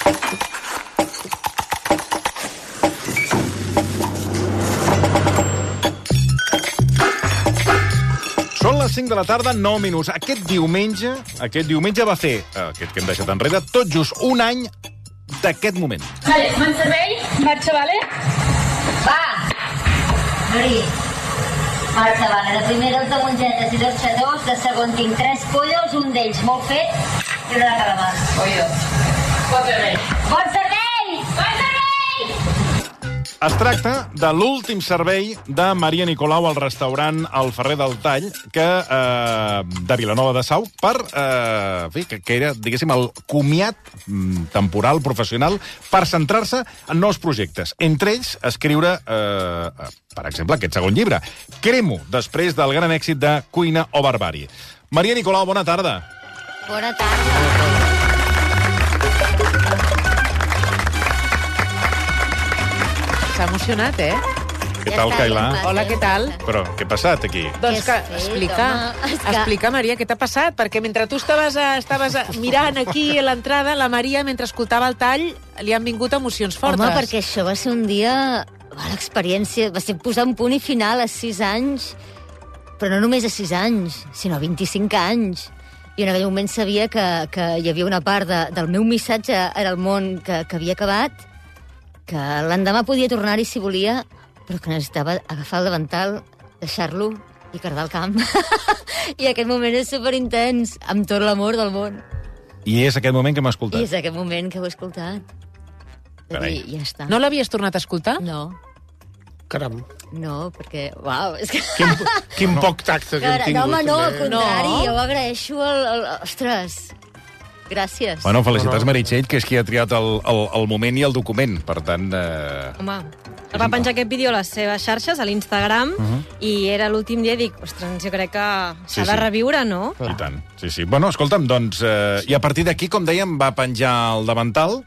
Són les 5 de la tarda, 9 minuts. Aquest diumenge va fer, aquest que hem deixat enrere, tot just un any d'aquest moment. Vale, me'n servei? Marxa, vale? Va! Mari, marxa, vale. De primer 2 de mongetes i 2 xatós, de segon tinc 3 pollos, un d'ells molt fet i una de calamars. Pollo. Bon servei. Bon servei! Bon servei! Es tracta de l'últim servei de Maria Nicolau al restaurant El Ferrer del Tall, de Vilanova de Sau, que era, diguéssim, el comiat temporal, professional, per centrar-se en nous projectes. Entre ells, escriure, per exemple, aquest segon llibre, Cremo, després del gran èxit de Cuina o Barbàrie. Maria Nicolau, bona tarda. Bona tarda. S'ha emocionat, eh? Què tal, Kaila? Hola, què tal? Però què ha passat aquí? Doncs que explica, Maria, què t'ha passat? Perquè mentre tu estaves mirant aquí a l'entrada, la Maria, mentre escoltava el tall, li han vingut emocions fortes. Home, perquè això va ser un dia... L'experiència va ser posar un punt i final a 6 anys, però no només a 6 anys, sinó a 25 anys. I en aquell moment sabia que hi havia una part del meu missatge en el món que havia acabat, que l'endemà podia tornar-hi si volia, però que necessitava agafar el davantal, deixar-lo i cardar el camp. I aquest moment és superintens, amb tot l'amor del món. I és aquest moment que m'ha escoltat? I és aquest moment que ho he escoltat. Carai. I ja està. No l'havies tornat a escoltar? No. Caram. No, perquè... Uau, és que... Quin poc tacte que hem tingut. No, home, no, al també. contrari, jo agraeixo Ostres, gràcies. Bueno, felicitats, Meritxell, que és qui ha triat el moment i el document. Per tant... Home, va penjar aquest vídeo a les seves xarxes, a l'Instagram, i era l'últim dia i dic, ostres, jo crec que s'ha de reviure, no? I tant, sí. Bueno, escolta'm, doncs... I a partir d'aquí, com dèiem, va penjar el davantal.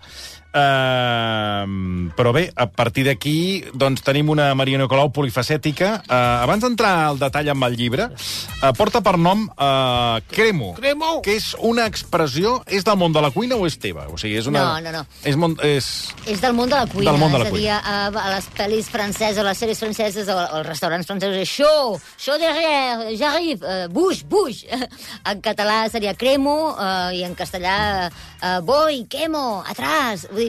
Però bé, a partir d'aquí doncs tenim una Maria Nicolau polifacètica. Abans d'entrar al detall amb el llibre, porta per nom Cremo, que és una expressió... És del món de la cuina o és teva? O sigui, és una... No. És del món de la cuina. Del món de la és cuina. a dir, a les pel·lis franceses, a les sèries franceses, als restaurants francesos, és chaud derrière, j'arrive, bouge. En català seria cremo, i en castellà voy, quemo, atrás. Vull dir,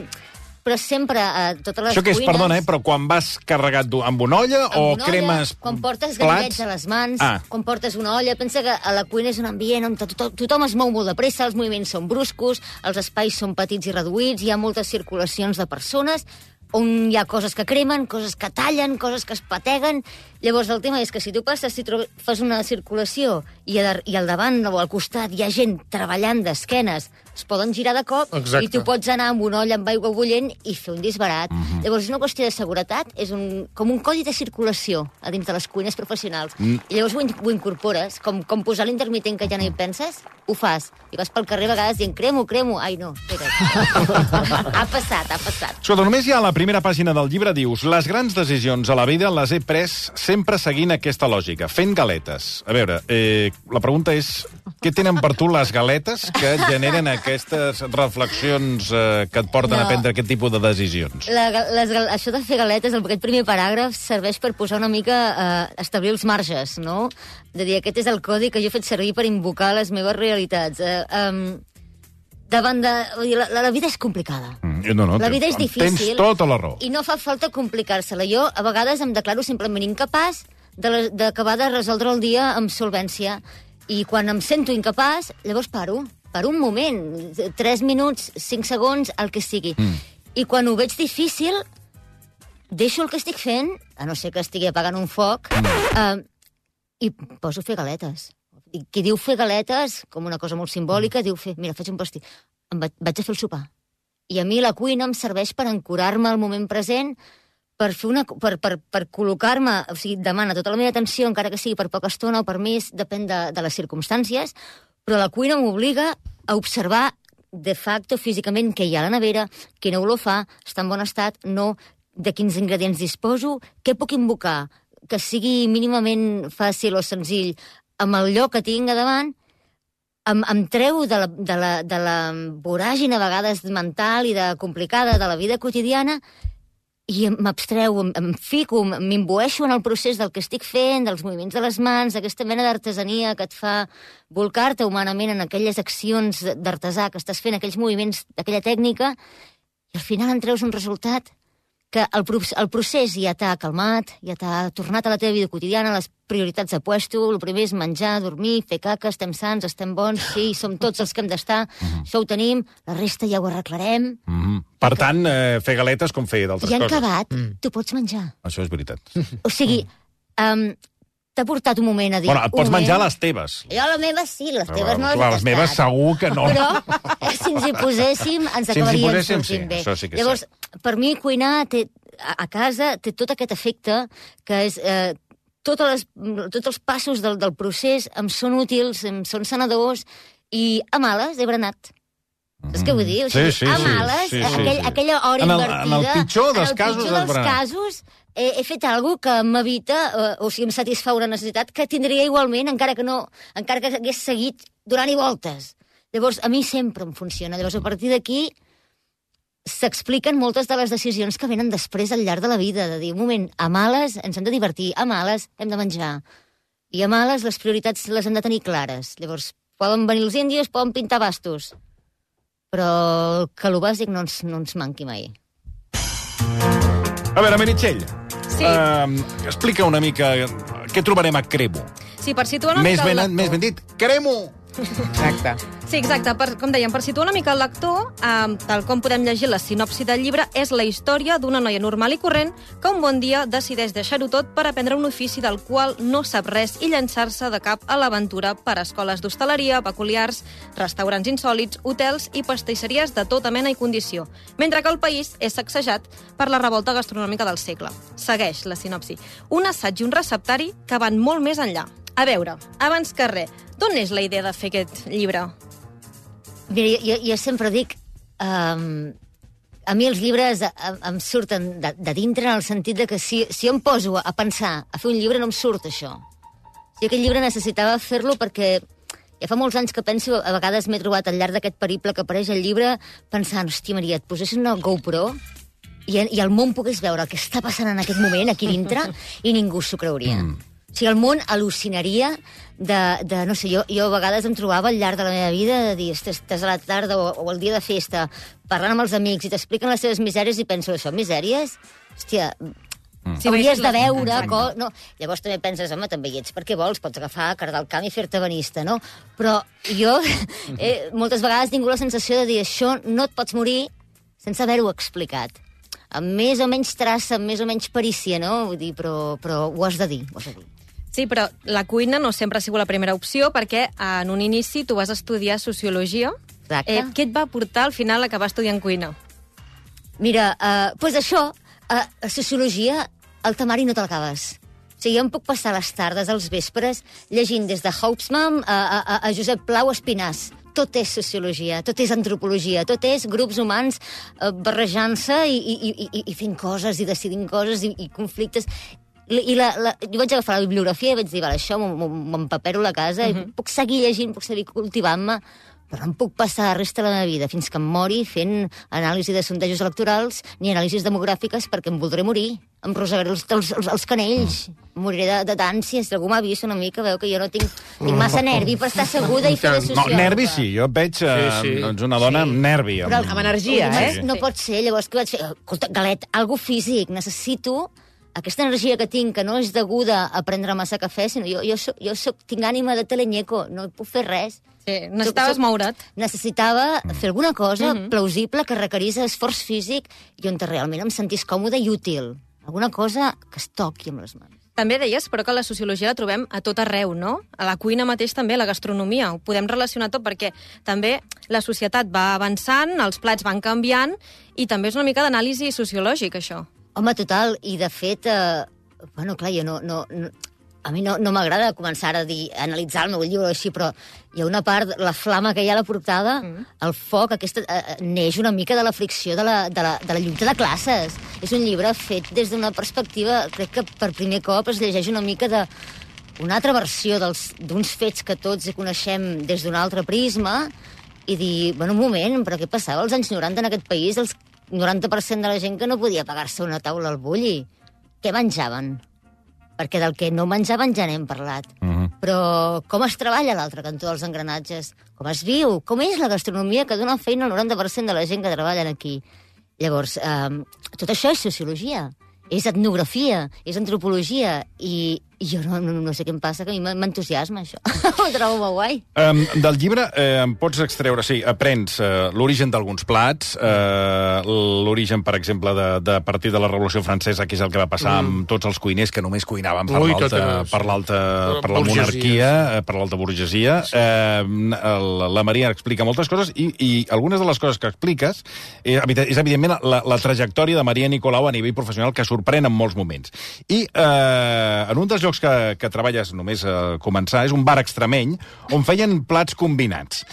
però sempre, totes les Això que és, cuines... perdona, però quan vas carregat amb una olla o cremes quan portes plats? gallets a les mans, quan portes una olla, pensa que a la cuina és un ambient on tothom es mou molt de pressa, els moviments són bruscos, els espais són petits i reduïts, hi ha moltes circulacions de persones, on hi ha coses que cremen, coses que tallen, coses que es pateguen. Llavors el tema és que si tu passes, si fas una circulació i al davant o al costat hi ha gent treballant d'esquenes, es poden girar de cop. Exacte. I tu pots anar amb una olla amb aigua bullent i fer un disbarat. Llavors és una qüestió de seguretat, és com un codi de circulació a dins de les cuines professionals. I llavors ho incorpores, com posar l'intermitent que ja no hi penses, ho fas. I vas pel carrer a vegades dient cremo. Ai, no, espera. Ha passat. Escolta, només hi ha a la primera pàgina del llibre, dius: les grans decisions a la vida les he pres sempre seguint aquesta lògica, fent galetes. A veure, la pregunta és, què tenen per tu les galetes que et generen aquestes reflexions que et porten a prendre aquest tipus de decisions? Això de fer galetes, aquest primer paràgraf, serveix per posar una mica, establir els marges, no? De dir, aquest és el codi que jo he fet servir per invocar les meves realitats. La vida és complicada. La vida és difícil. Tens tota la raó. I no fa falta complicar-se-la. Jo, a vegades, em declaro simplement incapaç d'acabar de resoldre el dia amb solvència. I quan em sento incapaç, llavors paro un moment, 3 minuts, 5 segons, el que sigui. I quan ho veig difícil, deixo el que estic fent, a no ser que estigui apagant un foc, i poso a fer galetes. I qui diu fer galetes, com una cosa molt simbòlica, diu mira, faig un pastís. Vaig a fer el sopar. I a mi la cuina em serveix per ancorar-me al moment present, per col·locar-me, o sigui, demana tota la meva atenció, encara que sigui per poca estona o per més, depèn de les circumstàncies, però la cuina m'obliga a observar de facto, físicament, què hi ha a la nevera, quina olor fa, està en bon estat, no, de quins ingredients disposo, què puc invocar, que sigui mínimament fàcil o senzill, amb el lloc que tinc a davant, em treu de la voràgina a vegades mental i de complicada de la vida quotidiana i m'abstreu, em fico, m'imbueixo en el procés del que estic fent, dels moviments de les mans, d'aquesta mena d'artesania que et fa volcar-te humanament en aquelles accions d'artesà que estàs fent, aquells moviments d'aquella tècnica, i al final en treus un resultat que el procés ja t'ha calmat, ja t'ha tornat a la teva vida quotidiana, les prioritats a puesto, el primer és menjar, dormir, fer caca, estem sants, estem bons, sí, som tots els que hem d'estar, això ho tenim, la resta ja ho arreglarem. Per tant, fer galetes com fer d'altres coses. I han coses. acabat, tu pots menjar. Això és veritat. O sigui, t'ha portat un moment a dir... Bueno, pots menjar les teves. Jo les meves sí, les teves no les he tastat. Les meves segur que no. Però si ens hi poséssim, ens acabaríem sortint bé. Això sí que llavors, per mi cuinar a casa té tot aquest efecte que és... tots els passos del procés em són útils, em són sanadors, i a males he berenat. Saps què vull dir? O sigui, a males, aquella hora invertida... En el pitjor dels casos he fet alguna que m'evita, o sigui, em satisfà una necessitat que tindria igualment, encara que hagués seguit donant-hi voltes. Llavors, a mi sempre em funciona. Llavors, a partir d'aquí, s'expliquen moltes de les decisions que venen després al llarg de la vida, de dir, un moment, a males ens hem de divertir, a males hem de menjar, i a males les prioritats les hem de tenir clares. Llavors, poden venir els índios, poden pintar bastos, però que el bàsic no ens manqui mai. A veure, Meritxell, sí. Explica una mica què trobarem a Cremo. Sí, per situar una mica... Més ben dit, Cremo! Exacte. Sí, exacte. Com dèiem, per situar una mica el lector, tal com podem llegir la sinopsi del llibre, és la història d'una noia normal i corrent que un bon dia decideix deixar-ho tot per aprendre un ofici del qual no sap res i llançar-se de cap a l'aventura per escoles d'hostaleria, peculiars, restaurants insòlits, hotels i pastisseries de tota mena i condició, mentre que el país és sacsejat per la revolta gastronòmica del segle. Segueix la sinopsi. Un assaig i un receptari que van molt més enllà. A veure, abans que res, d'on és la idea de fer aquest llibre? Mira, jo sempre dic... a mi els llibres em surten de dintre en el sentit de que si jo em poso a pensar, a fer un llibre, no em surt això. Si aquest llibre necessitava fer-lo perquè ja fa molts anys que penso, a vegades m'he trobat al llarg d'aquest periple que apareix al llibre, pensant, hòstia, Maria, et posessis una GoPro i el món pogués veure el que està passant en aquest moment aquí dintre i ningú s'ho creuria. O sigui, el món al·lucinaria de no sé, jo a vegades em trobava al llarg de la meva vida de dir, estàs a la tarda o el dia de festa parlant amb els amics i t'expliquen les seves misèries i penso, això, misèries? Hòstia, hauries de veure... No. Llavors també penses, home, també hi ets perquè vols, pots agafar, cardar el camp i fer-te benista, no? Però jo moltes vegades tinc la sensació de dir, això no et pots morir sense haver-ho explicat. Amb més o menys traça, amb més o menys perícia, no? Vull dir, però ho has de dir, ho has de dir. Sí, però la cuina no sempre ha sigut la primera opció perquè en un inici tu vas estudiar sociologia. Exacte. Què et va portar al final a acabar estudiant cuina? Mira, doncs això, a sociologia, al temari no te l'acabes. O sigui, jo em puc passar les tardes, als vespres, llegint des de Hobsbawm a Josep Plau Espinàs. Tot és sociologia, tot és antropologia, tot és grups humans barrejant-se i fent coses, i decidint coses, i conflictes... jo vaig agafar la bibliografia i vaig dir, vale, això m'empapero a la casa, i puc seguir llegint, puc seguir cultivant-me, però no em puc passar la resta de la meva vida fins que em mori fent anàlisi de sondejos electorals ni anàlisis demogràfiques perquè em voldré morir. Em rosegaré els canells. Moriré d'ànsia. Si algú m'ha vist una mica, veu que jo no tinc massa nervi per estar asseguda i fer de sociòloga. No, nervi sí. Jo et veig una dona amb nervi. Però amb energia, No pot ser. Llavors, què vaig fer? Escolta, Galet, algo físic. Necessito aquesta energia que tinc, que no és deguda a prendre massa cafè, sinó jo tinc ànima de teleñeco, no puc fer res. Sí, necessitaves moure't. Necessitava fer alguna cosa plausible que requerís esforç físic i on realment em sentís còmode i útil. Alguna cosa que es toqui amb les mans. També deies, però, que la sociologia la trobem a tot arreu, no? A la cuina mateix també, a la gastronomia. Ho podem relacionar tot perquè també la societat va avançant, els plats van canviant i també és una mica d'anàlisi sociològic, això. Home, total, i de fet, bueno, clar, jo a mi no m'agrada començar a analitzar el meu llibre així, però hi ha una part, la flama que hi ha a la portada, el foc, aquesta neix una mica de la fricció de la lluita de classes. És un llibre fet des d'una perspectiva, crec que per primer cop es llegeix una mica una altra versió d'uns fets que tots hi coneixem des d'un altre prisma i dir, bueno, un moment, però què passava als anys 90 en aquest país? El 90% de la gent que no podia pagar-se una taula al bulli. Què menjaven? Perquè del que no menjaven ja n'hem parlat. Però com es treballa a l'altre cantó dels engranatges? Com es viu? Com és la gastronomia que dona feina al 90% de la gent que treballen aquí? Llavors, tot això és sociologia, és etnografia, és antropologia, i jo no sé què em passa, que a mi m'entusiasma, això. Ho trobo molt guai. Del llibre em pots extreure, sí, aprens l'origen d'alguns plats, l'origen, per exemple, de partir de la Revolució Francesa, que és el que va passar amb tots els cuiners que només cuinaven per la monarquia, per l'alta burgesia. La Maria explica moltes coses i algunes de les coses que expliques és evidentment la trajectòria de Maria Nicolau a nivell professional, que sorprèn en molts moments. I en un dels llocs que treballes només a començar és un bar extremeny on feien plats combinats.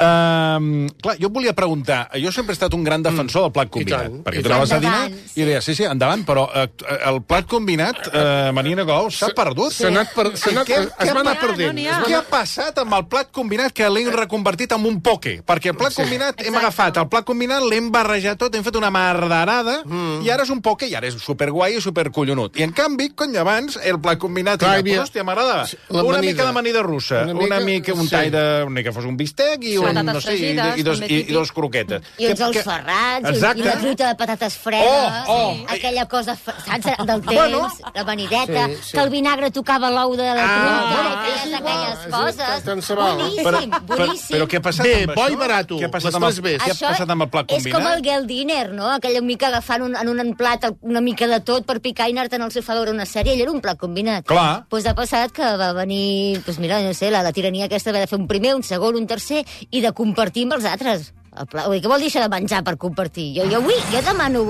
Clar, jo et volia preguntar, jo sempre he estat un gran defensor del plat combinat, perquè tu anaves a dinar i deies, sí, endavant, però el plat combinat, Maria Nicolau, s'ha perdut. Es va anar perdent. Què ha passat amb el plat combinat que l'hem reconvertit en un poke? Perquè el plat combinat, hem agafat el plat combinat, l'hem barrejat tot, hem fet una mardarada, i ara és un poke, i ara és superguai i supercollonut. I en canvi, cony, abans, el plat combinat, hòstia, m'agradava. Una mica d'amanida russa, un tall de... que fos un bistec i no sé, i dos croquetes. I uns ous ferrats, i una truita de patates fredes, aquella cosa, saps, del temps, la vanideta, que el vinagre tocava l'ou de la truita, aquelles coses. Boníssim, boníssim. Però què ha passat amb això? Bo i barat, què ha passat amb el plat combinat? És com el Gale Dinner, no? Aquella mica agafant en un plat una mica de tot per picar i anar-te'n al sofà a veure una sèrie, ell era un plat combinat. Clar. Doncs ha passat que va venir, mira, no sé, la tirania aquesta va de fer un primer, un segon, un tercer, i de compartir amb els altres. Què vol dir això de menjar per compartir? Jo demano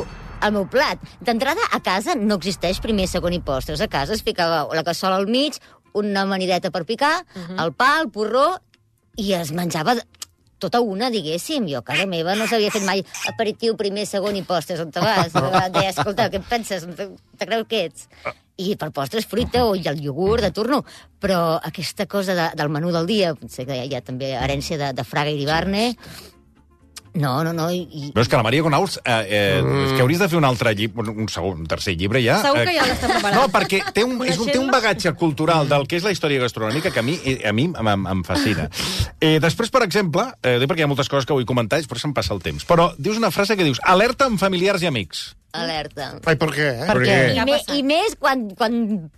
el meu plat. D'entrada, a casa no existeix primer, segon i postres. A casa es ficava la cassola al mig, una amanideta per picar, el pa, el porró, i es menjava tota una, diguéssim. Jo a casa meva no s'havia fet mai aperitiu, primer, segon i postres. On te vas? Deia, escolta, què penses? Te creus que ets? I per postres fruita o el iogurt de turno. Però aquesta cosa del menú del dia, potser que hi ha també herència de Fraga i Ibarne. No. Però és que la Maria Nicolau, és que hauries de fer un altre llibre, un tercer llibre ja. Segur que ja l'està preparant. No, perquè té un bagatge cultural del que és la història gastronòmica que a mi em fascina. Després, per exemple, perquè hi ha moltes coses que vull comentar, però se'm passa el temps, però dius una frase que dius, alerta amb familiars i amics. Alerta. Ai, per què? I més quan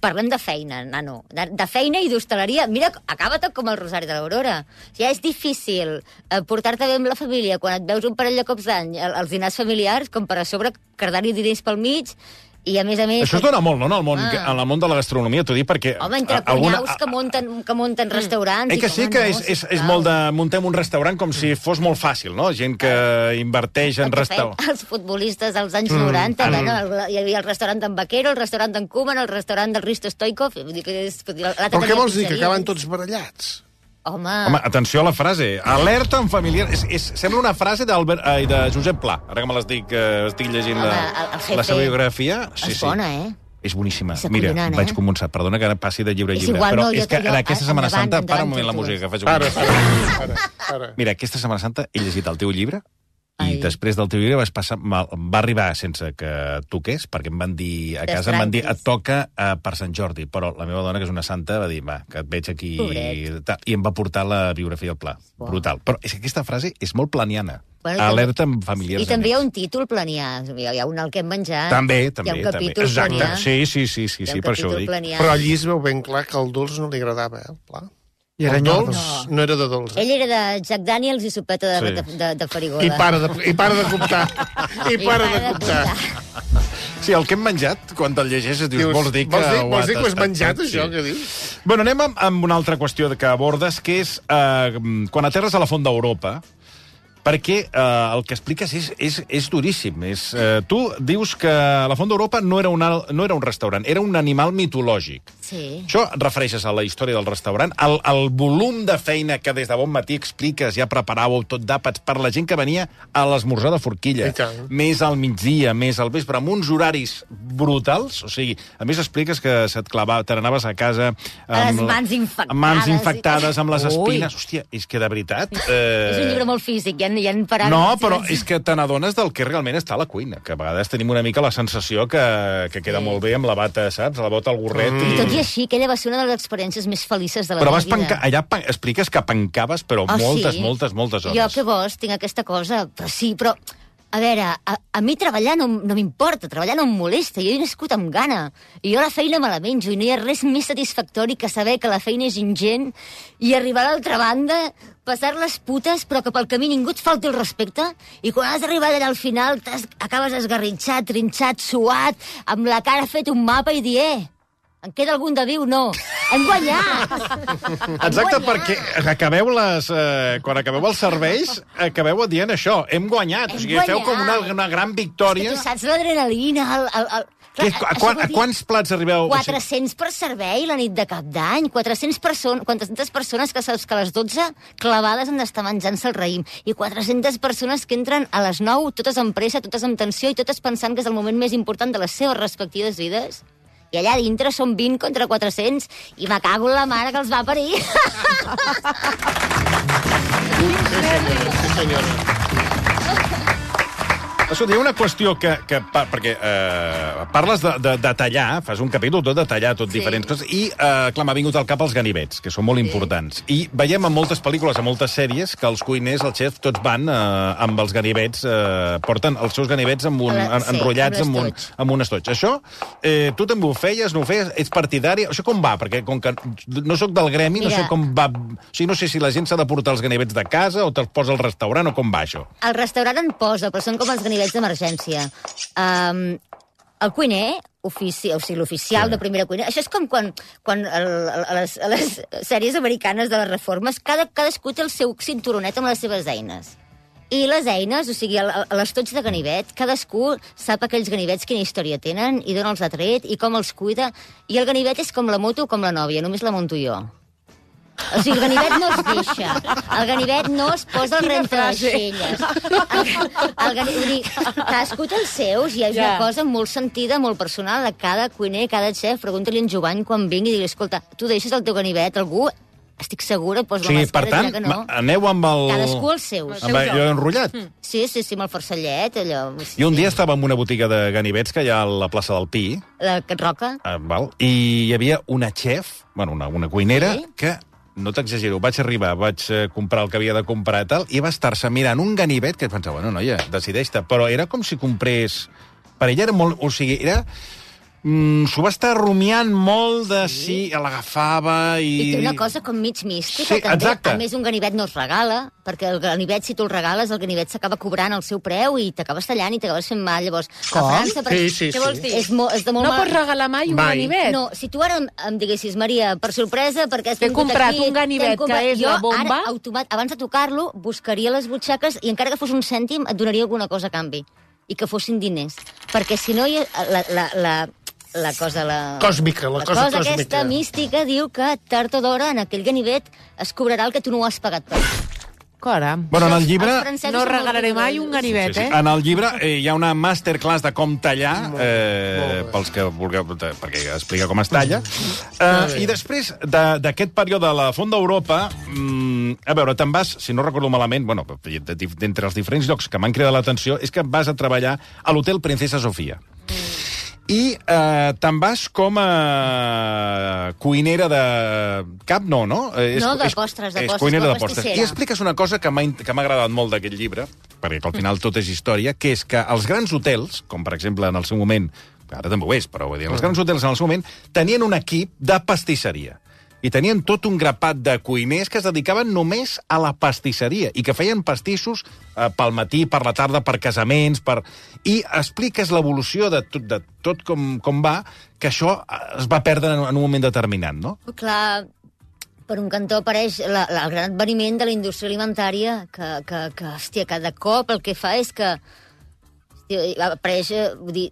parlem de feina, nano. De feina i d'hostaleria. Mira, acaba tot com el Rosari de l'Aurora. Ja és difícil portar-te bé amb la família quan et veus un parell de cops d'any als dinars familiars, com per a sobre cardar-hi diners pel mig. I a més... Això es dona molt, no?, en el món de la gastronomia, t'ho dic perquè... Home, entre cunyaus que munten restaurants... Que sí que és molt de... Muntem un restaurant com si fos molt fàcil, no? Gent que inverteix en restaurant... Els futbolistes dels anys 90, hi havia el restaurant d'en Vaquero, el restaurant d'en Koeman, el restaurant del Risto Stoikov... Però què vols dir, que acaben tots barallats? Home, atenció a la frase. Alerta en familiar... Sembla una frase de Josep Pla. Ara que me estic llegint la seva biografia. És bona, És boníssima. Mira, vaig començar. Perdona que passi de llibre a llibre. Però és que en aquesta Setmana Santa... Para un moment la música que faig. Para. Mira, aquesta Setmana Santa he llegit el teu llibre i després del teu llibre va arribar sense que toqués, perquè em van dir a casa, et toca per Sant Jordi, però la meva dona, que és una santa, va dir, que et veig aquí, i em va portar la biografia del Pla. Brutal. Però és que aquesta frase és molt planiana. Alerta amb familiars. I també hi ha un títol planià. Hi ha un al que hem menjat. També. Hi ha un capítol planià. Sí, per això ho dic. Però allí es veu ben clar que el dolç no li agradava, el Pla. I el dolç no era de dolç. Ell era de Jack Daniels i sopeta de farigola. I para de comptar. Sí, el que hem menjat, quan te'l llegeixes, dius, vols dir que ho has menjat, això, que dius? Bueno, anem amb una altra qüestió que abordes, que és quan aterres a la Font d'Europa, perquè el que expliques és duríssim. Tu dius que la Font d'Europa no era un restaurant, era un animal mitològic. Sí. Això et refereixes a la història del restaurant? El volum de feina que des de bon matí expliques, ja preparàveu tot d'àpats per la gent que venia a l'esmorzar de forquilla, més al migdia, més al vespre, amb uns horaris brutals. O sigui, a més expliques que te n'anaves a casa amb les mans infectades, amb les espines. Hòstia, és que de veritat... És un llibre molt físic, hi ha paràgrafs. No, però és que te n'adones del que realment està a la cuina, que a vegades tenim una mica la sensació que queda molt bé amb la bata, saps? La bota, el gorret... I tot i així, aquella va ser una de les experiències més felices de la meva vida. Allà expliques que pencaves, però moltes hores. Jo, què vols? Tinc aquesta cosa. Però sí, però... A veure, a mi treballar no m'importa, treballar no em molesta, jo he nascut amb gana, i jo la feina me la menjo, i no hi ha res més satisfactori que saber que la feina és ingent, i arribar a l'altra banda, passar les putes, però que pel camí ningú et falti el respecte, i quan has arribat allà al final acabes esgarritxat, trinxat, suat, amb la cara fet un mapa i dir, en queda algun de viu? No. Hem guanyat! Exacte, perquè quan acabeu els serveis, acabeu dient això, hem guanyat. O sigui, feu com una gran victòria. Tu saps l'adrenalina, A quants plats arribeu? 400 per servei la nit de cap d'any. 400 persones que saps que a les 12 clavades han d'estar menjant-se el raïm. I 400 persones que entren a les 9, totes amb pressa, totes amb tensió i totes pensant que és el moment més important de les seves respectives vides. I allà dintre són 20 contra 400 i me cago en la mare que els va parir. Sí, senyora. Escolta, hi ha una qüestió perquè parles de tallar, fas un capítol tot de tallar, diferents coses, i clar, m'ha vingut al cap els ganivets, que són molt importants. I veiem en moltes pel·lícules, en moltes sèries, que els cuiners, els xefs, tots van amb els ganivets, porten els seus ganivets enrotllats amb un estoig. Això, tu també ho feies, no ho feies, ets partidari? Això com va? Perquè com que no sóc del gremi, no sé com va... O sigui, no sé si la gent s'ha de portar els ganivets de casa o te'ls posa al restaurant o com va això. El restaurant en posa, però són com els ganivets d'emergència. El cuiner, l'oficial de primera cuina, això és com quan a les sèries americanes de les reformes, cadascú té el seu cinturonet amb les seves eines. I les eines, o sigui, l'estoig de ganivet, cadascú sap aquells ganivets quina història tenen i d'on els ha tret i com els cuida. I el ganivet és com la moto o com la nòvia, només la monto jo. O sigui, el ganivet no es deixa. El ganivet no es posa al rentaixelles. Cadascú té els seus i hi ha una cosa molt sentida, molt personal de cada cuiner, cada xef. Pregunta-li a en Jovany quan vingui i digui, escolta, tu deixes el teu ganivet, algú... Estic segura, posa la màscara, per tant, no. Aneu amb el... Cadascú els seus. Amb allò enrotllat? Sí, amb el forcellet, allò... I un dia estava en una botiga de ganivets que hi ha a la plaça del Pi. La Can Roca. I hi havia una xef, una cuinera, que... No t'exagero, vaig comprar el que havia de comprar i tal, i va estar-se mirant un ganivet que pensava, bueno, noia, decideix-te. Però era com si comprés... Per ella era molt... O sigui, era... S'ho va estar rumiant molt de si l'agafava i... I té una cosa com mig mística, sí, també. Exacte. A més, un ganivet no es regala, perquè el ganivet, si tu el regales, el ganivet s'acaba cobrant el seu preu i t'acabes tallant i t'acabes fent mal. Llavors, a França... Sí. Què vols dir? És de molt no pots regalar mai un ganivet? No, si tu ara em diguessis, Maria, per sorpresa, perquè has vingut aquí... T'he comprat un ganivet que és la bomba... Jo, ara, abans de tocar-lo, buscaria les butxaques i encara que fos un cèntim, et donaria alguna cosa a canvi. I que fossin diners. Perquè si no, la cosa còsmica. Aquesta mística diu que tard o d'hora en aquell ganivet es cobrarà el que tu no ho has pagat per. Caram. Bueno, en el llibre... No regalaré mai un ganivet, sí. En el llibre hi ha una masterclass de com tallar, pels que vulgueu, perquè explica com es talla. I després d'aquest període de la Font d'Europa, a veure, te'n vas, si no recordo malament, bueno, d'entre els diferents llocs que m'han cridat l'atenció, és que vas a treballar a l'Hotel Princesa Sofia. I te'n vas com a cuinera de... Cap no? No, de postres, cuinera de postres. I expliques una cosa que m'ha agradat molt d'aquest llibre, perquè al final tot és història, que és que els grans hotels, com per exemple en el seu moment, ara també ho és, però vull dir, els grans hotels en el seu moment tenien un equip de pastisseria. I tenien tot un grapat de cuiners que es dedicaven només a la pastisseria i que feien pastissos pel matí, per la tarda, per casaments, i expliques l'evolució de tot com va, que això es va perdre en un moment determinat, no? Clar, per un cantó apareix el gran adveniment de la indústria alimentària, que hòstia, cada cop el que fa és que apareix, vull dir,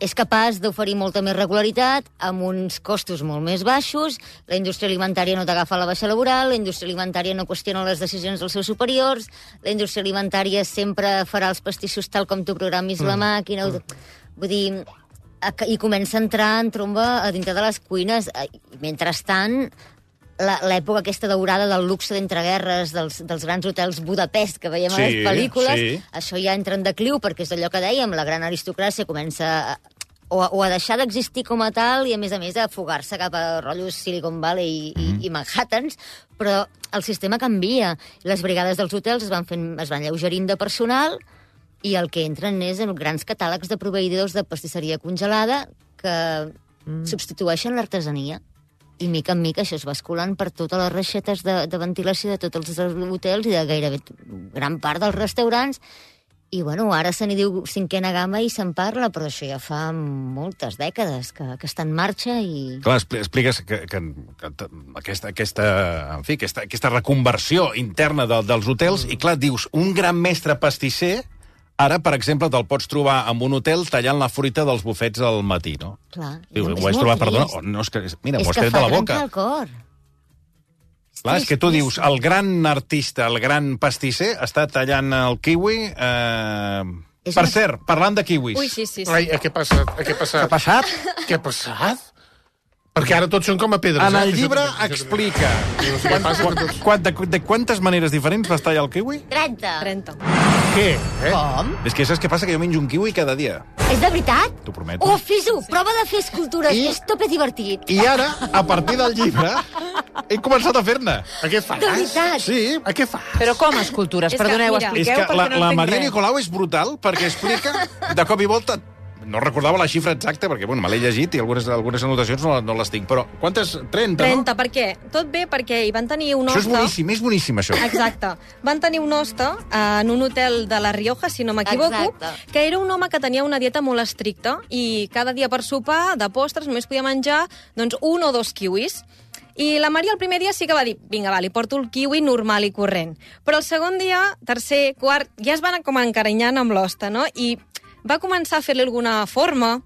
és capaç d'oferir molta més regularitat amb uns costos molt més baixos, la indústria alimentària no t'agafa la baixa laboral, la indústria alimentària no qüestiona les decisions dels seus superiors, la indústria alimentària sempre farà els pastissos tal com tu programis la màquina. Vull dir, i comença a entrar en tromba a dintre de les cuines. Mentrestant, l'època aquesta daurada del luxe d'entreguerres, dels grans hotels Budapest que veiem a les pel·lícules, això ja entra en decliu, perquè és allò que dèiem, la gran aristocràcia comença a deixar d'existir com a tal i, a més, a fugar-se cap a rotllos Silicon Valley i Manhattans, però el sistema canvia. Les brigades dels hotels es van lleugerint de personal i el que entren és en grans catàlegs de proveïdors de pastisseria congelada que substitueixen l'artesania. I mica en mica això es va escolant per totes les reixetes de ventilació de tots els hotels i de gairebé gran part dels restaurants. I, bueno, ara se n'hi diu cinquena gamma i se'n parla, però això ja fa moltes dècades que està en marxa i... Clar, expliques que aquesta reconversió interna dels hotels, i clar, dius, un gran mestre pastisser, ara, per exemple, te'l pots trobar en un hotel tallant la fruita dels bufets al matí, no? Clar. Dius, ho has trobat, perdona? No, és que, mira, m'ho has tret de la boca. És que fa trencar el cor. Clar, és que tu dius, el gran artista, el gran pastisser, està tallant el kiwi... Per cert, parlant de kiwis... Ui, sí. Ai, què ha passat? Què ha passat? Perquè ara tots són com a pedres. En el llibre explica de quantes maneres diferents vas tallar el kiwi? 30. Què? Com? És que saps què passa? Que jo menjo un kiwi cada dia. És de veritat? T'ho prometo. Oh, fes-ho! Prova de fer escultures, és tope divertit. I ara, a partir del llibre, he començat a fer-ne. A què fas? De veritat? Sí. A què fas? Però com escultures? És que, Perdoneu, mira, És expliqueu que perquè no la entenc Maria res. Nicolau és brutal perquè explica de cop i volta... No recordava la xifra exacta, perquè bueno, me l'he llegit i algunes anotacions no les tinc, però quantes? 30, 30, no? per què? Tot bé perquè hi van tenir un Això hoste... és boníssim, això. Exacte. Van tenir un hoste en un hotel de La Rioja, si no m'equivoco, Exacte. que era un home que tenia una dieta molt estricta i cada dia per sopar, de postres, només podia menjar doncs, 1 o 2 kiwis. I la Maria el primer dia sí que va dir, vinga, va, li porto el kiwi normal i corrent. Però el segon dia, tercer, quart, ja es van com encarinyant amb l'hoste, no? I va començar a fer-li alguna forma.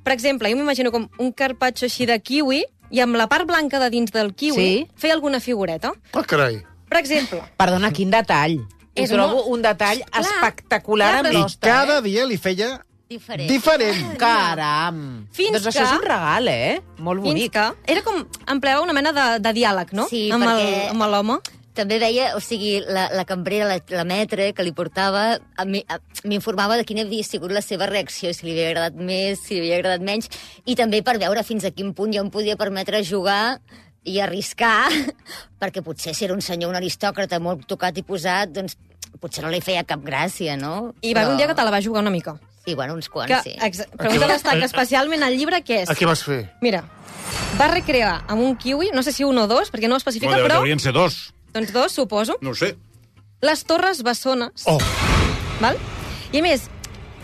Per exemple, jo m'imagino com un carpaccio així de kiwi i amb la part blanca de dins del kiwi feia alguna figureta. Oh, carai. Per exemple... Perdona, quin detall. És Ho trobo molt- un detall Clar, espectacular clar, amb però- l'hoste. Cada dia li feia diferent. Caram! Fins doncs això que- és un regal, Molt Fins bonic. que... Era com... Empleava una mena de diàleg, no? Sí, amb perquè- amb l'home. També veia, o sigui, la cambrera, la metre que li portava, m'informava de quina havia sigut la seva reacció, si li havia agradat més, si li havia agradat menys, i també per veure fins a quin punt jo em podia permetre jugar i arriscar, perquè potser si era un senyor, un aristòcrata molt tocat i posat, doncs potser no li feia cap gràcia, no? I va haver un dia que te la va jugar una mica. Sí, bueno, uns quants, sí. Però un que destaca especialment al llibre, què és? A què vas fer? Mira, va recrear amb un kiwi, no sé si 1 o 2, perquè no ho especifica, No, però... deurien ser 2. Doncs 2, suposo. No ho sé. Les torres bessones. Oh. Val? I a més,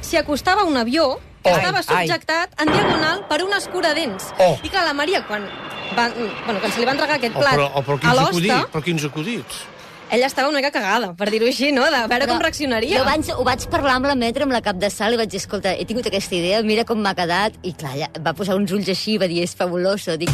si acostava un avió, estava subjectat en diagonal per un escuradents. Oh. I clar, la Maria, quan se li va entregar aquest plat Però a l'hoste, quins acudits. ella estava una mica cagada, per dir-ho així, no? De veure com reaccionaria. Jo ho vaig parlar amb la metre, amb la cap de sal, i vaig dir, escolta, he tingut aquesta idea, mira com m'ha quedat, i clar, ella va posar uns ulls així, va dir, és fabuloso. Dic,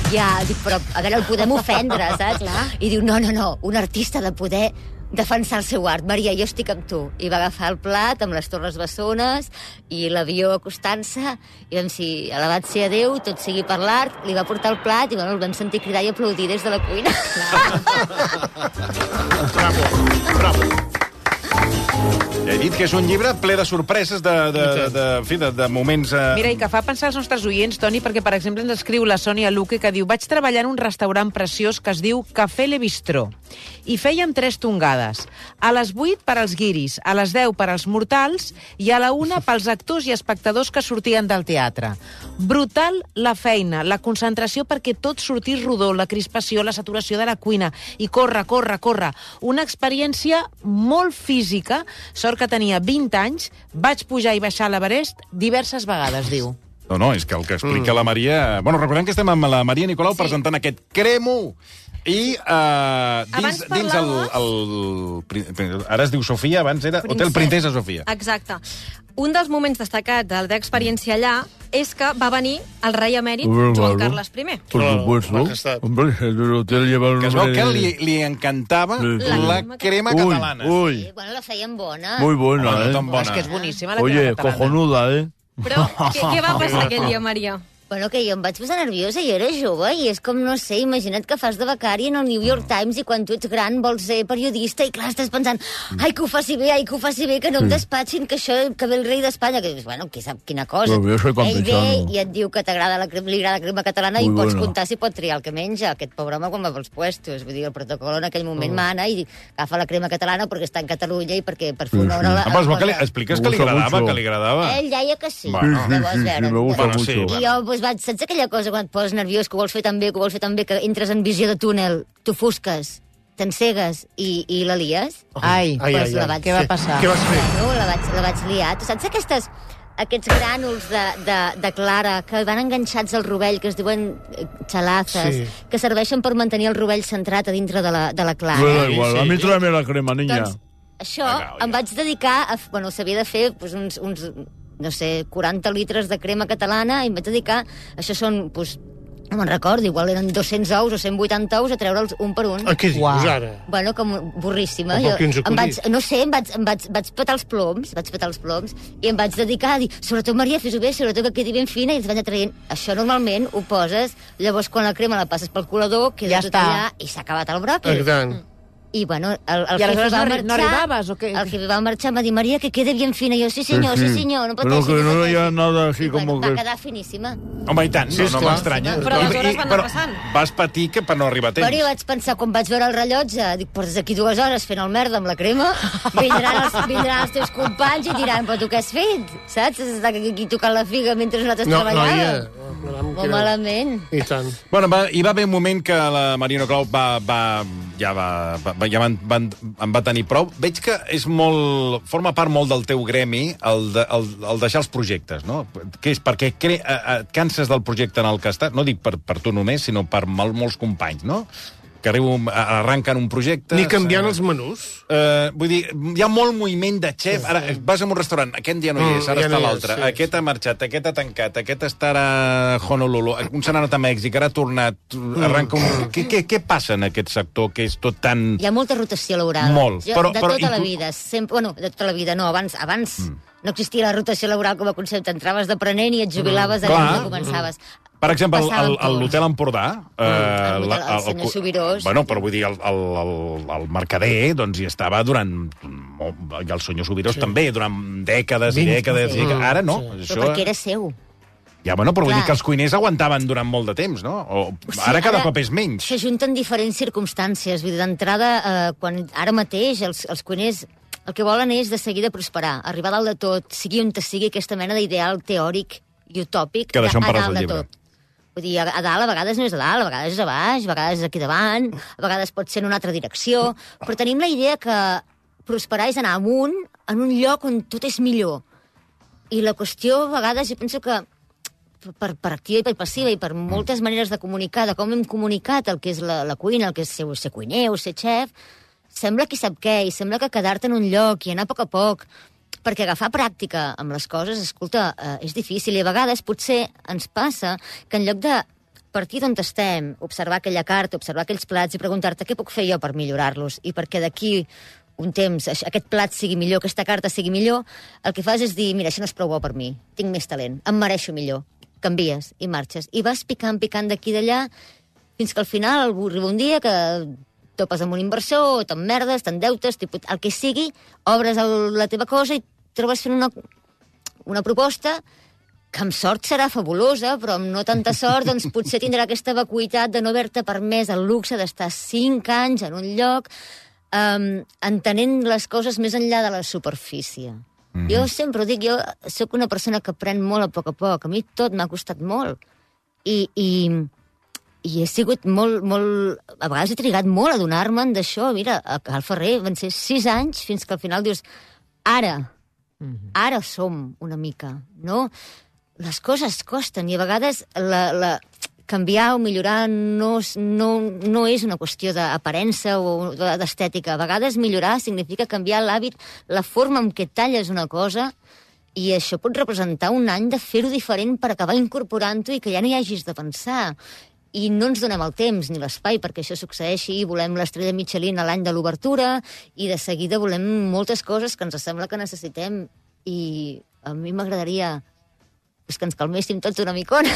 però a veure, el podem ofendre, saps? I diu, no, un artista de poder defensar el seu art. Maria, jo estic amb tu. I va agafar el plat amb les torres bessones i l'avió acostant-se, i vam dir, alabat ser a Déu, tot sigui per l'art, li va portar el plat i bueno, el vam sentir cridar i aplaudir des de la cuina. Bravo. Ja he dit que és un llibre ple de sorpreses, de moments... Mira, i que fa pensar als nostres oients, Toni, perquè, per exemple, ens escriu la Sònia Luque, que diu, vaig treballar en un restaurant preciós que es diu Café Le Bistró, i fèiem 3 tongades. A les 8 per als guiris, a les 10 per als mortals, i a la 1 pels actors i espectadors que sortien del teatre. Brutal la feina, la concentració perquè tot sortís rodó, la crispació, la saturació de la cuina, i corre. Una experiència molt física. Sort que tenia 20 anys, vaig pujar i baixar l'Everest diverses vegades, diu. No, és que el que explica la Maria... Bueno, recordem que estem amb la Maria Nicolau presentant aquest Cremo, I Abans dins parlaves- ara es diu Sofia, abans era Hotel Princesa Sofia. Exacte. Un dels moments destacats de la teva experiència allà és que va venir el rei emèrit Joan Carles I. Por supuesto. Majestad. Hombre, el hotel lleva el Que es veu nombre... que li encantava la crema Uy, catalana. uy, Sí, bueno, la feien bona. muy buena, Bueno, tan ¿eh? bona. És que és boníssima la Oye, crema catalana. cojonuda, ¿eh? Però què va passar aquell dia, Maria? Bueno, que jo em vaig posar nerviosa, jo era jove, i és com, no sé, imagina't que fas de becari en el New York Times i quan tu ets gran vols ser periodista i clar, estàs pensant, ai, que ho faci bé, que no em despatxin, que això, que ve el rei d'Espanya, que dius, bueno, qui sap quina cosa. Però jo soy Ell ve campechano. i et diu que t'agrada li agrada la crema catalana Muy i pots buena. comptar si pot triar el que menja. Aquest pobre home quan va pels puestos. Vull dir, el protocol en aquell moment mana i agafa la crema catalana perquè està en Catalunya i perquè per fer honor a la... Ah, però es veu que expliques que li Me gusta agradava, mucho. que li agradava. Ell deia que sí. Bueno. Sí, Llavors, sí, veure, me gusta Bueno, sí, mucho. bueno. I jo, doncs, saps aquella cosa quan et poses nerviós, que ho vols fer tan bé, que entres en visió de túnel, t'ofusques, t'encegues i la lies? Ai, Pues la vaig- què va passar? Què vas fer? Bueno, la vaig liar. Tu saps aquests grànuls de clara que van enganxats al rovell, que es diuen xalazes, Sí. que serveixen per mantenir el rovell centrat a dintre de la clara? Me da igual, a mí tráeme la crema, niña. Doncs això em vaig dedicar a... Bueno, s'havia de fer doncs, uns, no sé, 40 litres de crema catalana i em vaig dedicar... Això són, doncs, no me'n recordo, igual eren 200 ous o 180 ous a treure'ls un per un. Què dius, Uau. ara? Bueno, com burríssima. Però quins acudits? No sé, vaig petar els ploms, i em vaig dedicar a dir, sobretot, Maria, fes-ho bé, sobretot que quedi ben fina, i els vaig traient. Això normalment ho poses, llavors quan la crema la passes pel colador, queda Ja tot està. allà i s'ha acabat el bròquil. Tant. I, bueno, el I aleshores jefe no arribaves, o què? El jefe va marxar, em va dir, Maria, que quede bien fina. I jo, sí senyor, no Pero pateixi. que no haya nada así I, bueno, como va que... quedar finíssima. Home, i tant, Sí, no esclar. m'estranya. Però aleshores va anar Però passant. vas patir que per no arribar a temps. Però jo vaig pensar, quan vaig veure el rellotge, dic, portes aquí 2 hores fent el merda amb la crema, vindran els teus companys i diran, però tu què has fet? Saps? Has estat aquí tocant la figa mentre nosaltres No, treballàvem. noia. Molt malament. I tant. Bueno, hi va haver un moment que la Marina Colau en va tenir prou. Veig que és forma part molt del teu gremi el deixar els projectes, no? Que és perquè et canses del projecte en el que estàs, no dic per tu només, sinó per molts companys, no? Que arranquen un projecte... Ni canviant els menús. Vull dir, hi ha molt moviment de xef. Ara vas a un restaurant, aquest dia no hi és, ara ja està no hi és, l'altre. sí. Aquest ha marxat, aquest ha tancat, aquest està ara a Honolulu, un se n'ha anat a Mèxic, ara ha tornat, arranca un... Què passa en aquest sector que és tot tan... Hi ha molta rotació laboral. Molt. De tota la vida. Sempre, bueno, de tota la vida, no. Abans no existia la rotació laboral com a concepte. Entraves d'aprenent i et jubilaves allà Clar. on començaves. Per exemple, Passàvem tot. l'Hotel Empordà... El senyor Subirós. Bueno, però vull dir, el mercader, doncs, hi estava durant... I el senyor Subirós també, durant dècades i dècades. sí. Ara no. Però perquè era seu. Ja, bueno, però vull Clar. dir que els cuiners aguantaven durant molt de temps, no? Ara cada cop és menys. S'ajunten diferents circumstàncies. Vull dir, d'entrada, ara mateix els cuiners el que volen és de seguida prosperar, arribar a dalt de tot, sigui on sigui aquesta mena d'ideal teòric i utòpic Que d'això en a parles dalt al de llibre. tot. Vull dir, a dalt a vegades no és a dalt, a vegades és a baix, a vegades és aquí davant, a vegades pot ser en una altra direcció, però tenim la idea que prosperar és anar amunt en un lloc on tot és millor. I la qüestió, a vegades, jo penso que per activa i per passiva i per moltes maneres de comunicar, de com hem comunicat el que és la cuina, el que és ser cuiner o ser xef, sembla que sap què, i sembla que quedar-te en un lloc i anar a poc, perquè agafar pràctica amb les coses, escolta, és difícil, i a vegades potser ens passa que en lloc de partir d'on estem, observar aquella carta, observar aquells plats i preguntar-te què puc fer jo per millorar-los i perquè d'aquí un temps aquest plat sigui millor, aquesta carta sigui millor, el que fas és dir, mira, això no és prou bo per mi, tinc més talent, em mereixo millor. Canvies i marxes. I vas picant d'aquí i d'allà, fins que al final arriba un dia que topes amb un inversor, t'emmerdes, t'endeutes, el que sigui, obres la teva cosa i trobes fent una proposta que amb sort serà fabulosa, però amb no tanta sort, doncs potser tindrà aquesta vacuïtat de no haver-te permès el luxe d'estar 5 anys en un lloc entenent les coses més enllà de la superfície. Jo sempre ho dic, jo sóc una persona que aprèn molt a poc. A mi tot m'ha costat molt. I he sigut molt... A vegades he trigat molt a donar-me'n d'això. Mira, a Cal Ferrer van ser 6 anys fins que al final dius ara som una mica, no? Les coses costen i a vegades canviar o millorar no és una qüestió d'aparença o d'estètica. A vegades millorar significa canviar l'hàbit, la forma en què talles una cosa, i això pot representar un any de fer-ho diferent per acabar incorporant-ho i que ja no hi hagis de pensar. I no ens donem el temps ni l'espai perquè això succeeixi. Volem l'estrella Michelin a l'any de l'obertura i de seguida volem moltes coses que ens sembla que necessitem. I a mi m'agradaria que ens calméssim tots una micona.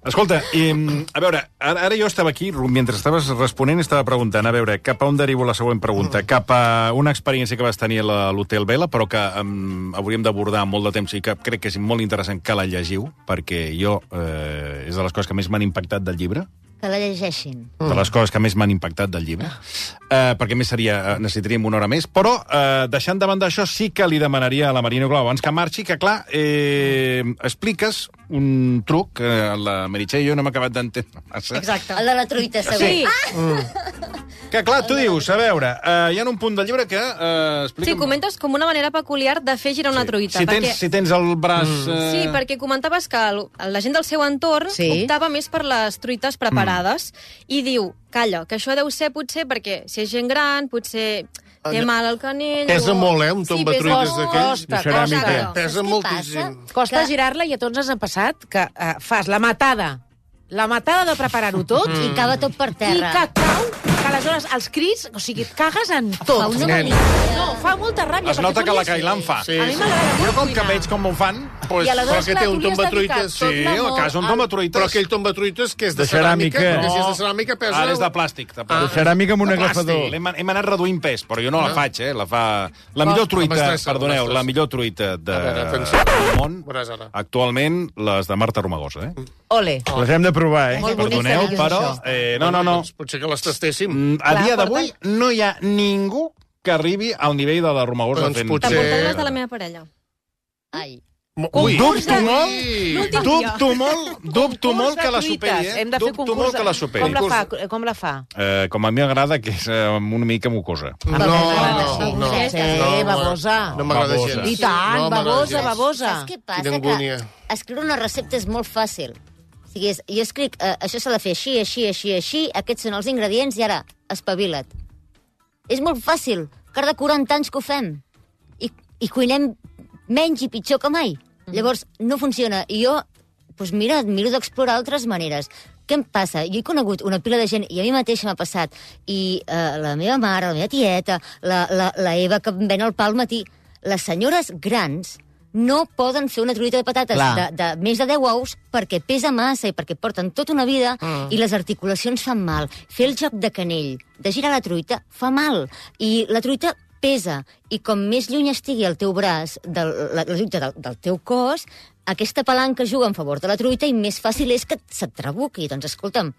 Escolta, a veure, ara jo estava aquí, mentre estaves responent, estava preguntant, a veure, cap a on derivo la següent pregunta? Cap a una experiència que vas tenir a l'Hotel Vela, però que hauríem d'abordar molt de temps i que crec que és molt interessant que la llegiu, perquè jo és de les coses que més m'han impactat del llibre. Que la llegeixin. De les coses que més m'han impactat del llibre. Perquè més necessitaríem una hora més. Però, deixant de banda això, sí que li demanaria a la Maria Nicolau, abans que marxi, que, clar, expliques un truc que la Meritxell i jo no hem acabat d'entendre massa. Exacte. El de la truita, segur. Sí. Que, clar, tu dius, a veure, hi ha un punt del llibre que... Sí, comentes com una manera peculiar de fer girar una truita. Si tens el braç... Sí, perquè comentaves que la gent del seu entorn optava més per les truites preparades i diu, calla, que això deu ser potser perquè si és gent gran, potser té mal al canell... Pesa molt, un tombatruites d'aquells. Pesa moltíssim. Costa girar-la i a tots ens ha passat que fas la matada de preparar-ho tot I acaba tot per terra. I que cau, que aleshores els crits, o sigui, et cagues en tot. Fa una mania. No, fa molta ràbia. Es nota que la Cailan fa. Sí, A mi m'agrada molt Jo, com que cuinar. veig com ho fan, I aleshores, que clar, té un tu li has tombatruites, dedicat tot sí, l'amor a casa un tombatruites. Però aquell tombatruites que és de De ceràmica. ceràmica, perquè si és de ceràmica pesa... Ara és de plàstic. De ceràmica amb un agafador. Hem anat reduint pes, però jo no la faig, La fa... La millor truita, m'estressa, perdoneu, m'estressa. la millor truita veure, atenció. del món, Veuràs ara. actualment, les de Marta Romagosa, Ole. Les hem de provar, Molt bonic, Perdoneu, seriós, però... això. No. Doncs potser que les tastéssim. A dia Clar, d'avui no hi ha ningú que arribi al nivell de la Romagosa Doncs fent... potser- T'emportaré les de la meva parella. Ai. Ui, Dubto molt, L'últim dia. dubto molt que la Concurs de superi, truites. Hem de fer Dubto molt que la superi. Com la fa? Com a mi m'agrada, que és una mica mucosa. No. Sí, babosa. No m'agrada Babosa. gens. I tant, No m'agrada babosa, gens. babosa. Saps què passa? Quina angúnia. Que escriure una recepta és molt fàcil. O sigui, jo escric, això s'ha de fer així, aquests són els ingredients i ara, espavila't. És molt fàcil. Cada 40 anys que ho fem. I cuinem menys i pitjor que mai. Llavors, no funciona. I jo, doncs mira, miro d'explorar altres maneres. Què em passa? Jo he conegut una pila de gent, i a mi mateixa m'ha passat, i la meva mare, la meva tieta, la Eva que em ven el pa al matí, les senyores grans no poden fer una truita de patates de més de 10 ous perquè pesa massa i perquè porten tota una vida i les articulacions fan mal. Fer el joc de canell, de girar la truita, fa mal. I la truita pesa. I com més lluny estigui el teu braç la truita del teu cos, aquesta palanca juga en favor de la truita i més fàcil és que se't trabuqui. Doncs escolta'm,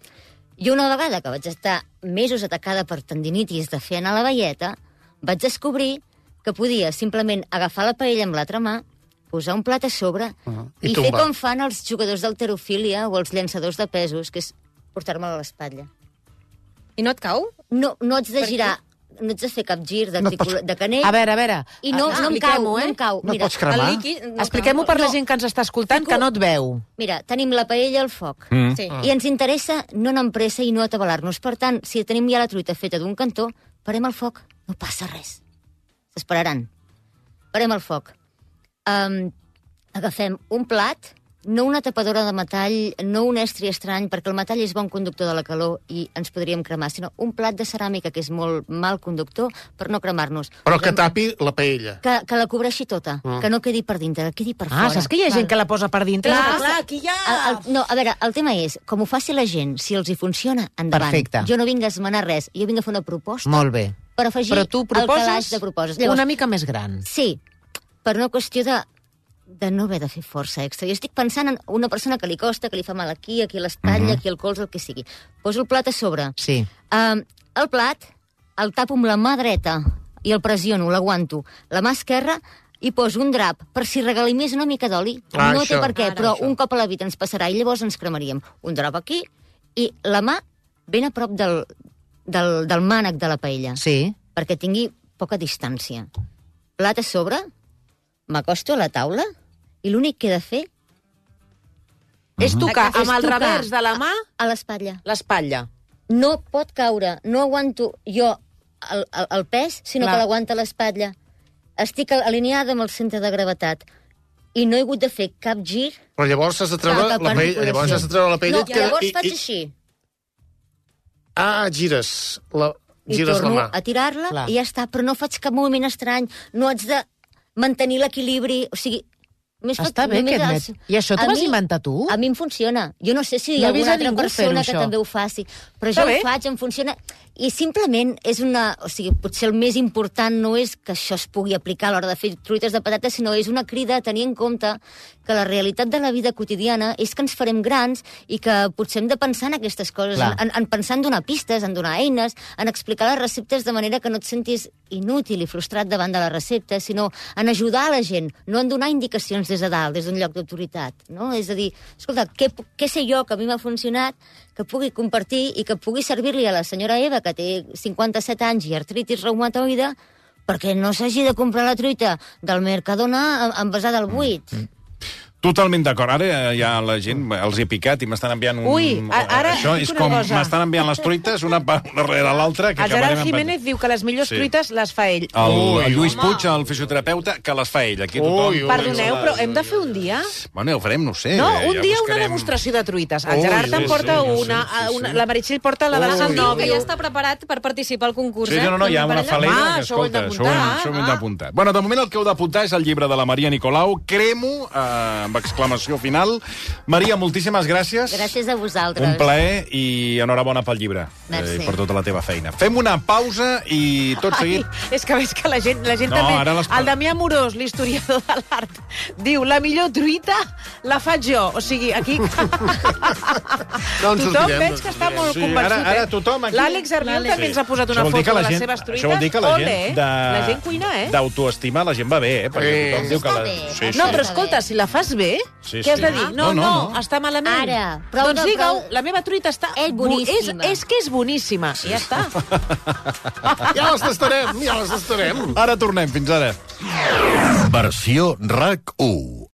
jo una vegada que vaig estar mesos atacada per tendinitis de fer anar la velleta, vaig descobrir que podia simplement agafar la paella amb l'altra mà, posar un plat a sobre i fer com fan els jugadors d'halterofília o els llançadors de pesos, que és portar-me'l a l'espatlla. I no et cau? No haig de girar, no haig de fer cap gir de canell. A veure. I no em cau. No pots cremar? Expliquem-ho per la gent que ens està escoltant, que no et veu. Mira, tenim la paella al foc. Sí. I ens interessa no anar amb pressa i no atabalar-nos. Per tant, si tenim ja la truita feta d'un cantó, parem el foc. No passa res. S'esperaran. Parem el foc. Agafem un plat, no una tapadora de metall, no un estri estrany, perquè el metall és bon conductor de la calor i ens podríem cremar, sinó un plat de ceràmica, que és molt mal conductor, per no cremar-nos. Però que tapi la paella. Que la cobreixi tota, que no quedi per dintre, que quedi per fora. Saps que hi ha gent que la posa per dintre? Clar, aquí hi ha... No, a veure, el tema és, com ho faci la gent, si els hi funciona, endavant. Perfecte. Jo no vinc a esmenar res, jo vinc a fer una proposta Molt bé. per afegir Però tu el calaix proposes de proposes. Llavors, una mica més gran. sí, per una qüestió de no haver de fer força extra. Jo estic pensant en una persona que li costa, que li fa mal aquí a l'espatlla, aquí al colze, el que sigui. Poso el plat a sobre. Sí. El plat el tapo amb la mà dreta i el pressiono, l'aguanto. La mà esquerra i poso un drap per si regali més una mica d'oli. No té per què, però un cop a la vida ens passarà i llavors ens cremaríem. Un drap aquí i la mà ben a prop del mànec de la paella. Sí. Perquè tingui poca distància. Plat a sobre, m'acosto a la taula i l'únic que he de fer És tocar És amb el tocar revers de la mà a l'espatlla. l'espatlla. No pot caure, no aguanto jo el pes, sinó Clar. que l'aguanta l'espatlla. Estic alineada amb el centre de gravetat i no he hagut de fer cap gir. Però llavors has de treure Cap la pell, llavors has de treure la pell No, i et queda... llavors faig així. Gires I la torno mà. a tirar-la Clar. i ja està, però no faig cap moviment estrany, no haig de mantenir l'equilibri, o sigui... Està bé, aquest mètode. I això t'ho vas inventar tu? A mi em funciona. Jo no sé si hi No ha he vist alguna a altra ningú persona fer-ho, que això. també ho faci, però Està jo bé. ho faig, em funciona... I simplement és una... O sigui, potser el més important no és que això es pugui aplicar a l'hora de fer truites de patates, sinó és una crida a tenir en compte que la realitat de la vida quotidiana és que ens farem grans i que potser hem de pensar en aquestes coses, en pensar en donar pistes, en donar eines, en explicar les receptes de manera que no et sentis inútil i frustrat davant de la recepta, sinó en ajudar a la gent, no en donar indicacions des de dalt, des d'un lloc d'autoritat. No? És a dir, escolta, què sé jo que a mi m'ha funcionat, que pugui compartir i que pugui servir-li a la senyora Eva, que té 57 anys i artritis reumatoide, perquè no s'hagi de comprar la truita del Mercadona envasada al buit. Totalment d'acord. Ara ja la gent els he picat i m'estan enviant un... Ui, ara això dic és una com cosa. m'estan enviant les truites una rere l'altra. El Gerard Jiménez diu que les millors truites les fa ell. El Lluís Puig, el fisioterapeuta, que les fa ell. Aquí tothom... Perdoneu, però hem de fer un dia? Bueno, ja ho farem, no ho sé. No, un ja dia una buscarem. demostració de truites. El Gerard en porta una, la Meritxell porta la de Sant Em diu que Nòvio. ja està preparat per participar al concurs, Sí, no, hi ha una falera. Ah, Que, això ho hem escolta, d'apuntar. això ho hem d'apuntar. Bueno, de moment el que heu d'apuntar és el llibre de la Maria Nicolau, Cremo, amb exclamació final. Maria, moltíssimes gràcies. Gràcies a vosaltres. Un plaer i enhorabona pel llibre. Merci. I per tota la teva feina. Fem una pausa i tot seguit... És que veig que la gent No, també... ara les- El Damià Morós, l'historiador de l'art, diu, la millor truita la faig jo. O sigui, aquí... No ens Tothom sortirem, veig que està molt Sí, convençut. ara tothom aquí- L'Àlex Arbiol també ens ha posat una Això vol dir foto que la de les gent- seves truites. Això vol dir que la Ole, gent la gent cuina, d'autoestima la gent va bé, Perquè tothom diu que Està la... bé. Sí, No, sí. però escolta, si la fas bé, Sí, què has sí. de dir? No, No, no, no. està malament. Ara, prou doncs de- digue-ho, prou- la meva truita està... És boníssima. És que és boníssima, i ja està. Ja les tastarem, ja les tastarem. Ara tornem, fins ara. Versió RAC 1.